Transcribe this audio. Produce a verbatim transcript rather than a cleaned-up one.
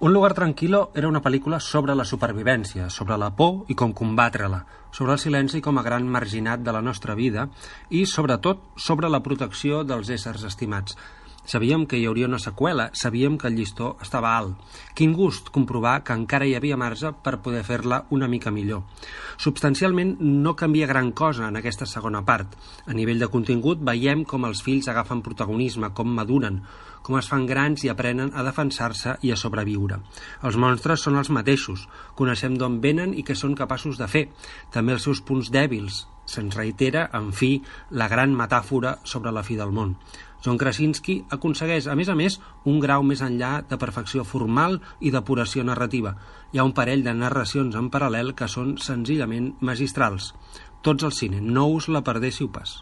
Un lugar tranquil·lo era una pel·lícula sobre la supervivència, sobre la por i com combatre-la, sobre el silenci com a gran marginat de la nostra vida i, sobretot, sobre la protecció dels éssers estimats. Sabíem que hi hauria una seqüela, sabíem que el llistó estava alt. Quin gust comprovar que encara hi havia marge per poder fer-la una mica millor. Substancialment no canvia gran cosa en aquesta segona part. A nivell de contingut veiem com els fills agafen protagonisme, com maduren, com es fan grans i aprenen a defensar-se i a sobreviure. Els monstres són els mateixos, coneixem d'on venen i què són capaços de fer, també els seus punts dèbils. Se'ns reitera, en fi, la gran metàfora sobre la fi del món. John Krasinski aconsegueix, a més a més, un grau més enllà de perfecció formal i depuració narrativa. Hi ha un parell de narracions en paral·lel que són senzillament magistrals. Tots al cine, no us la perdéssiu pas.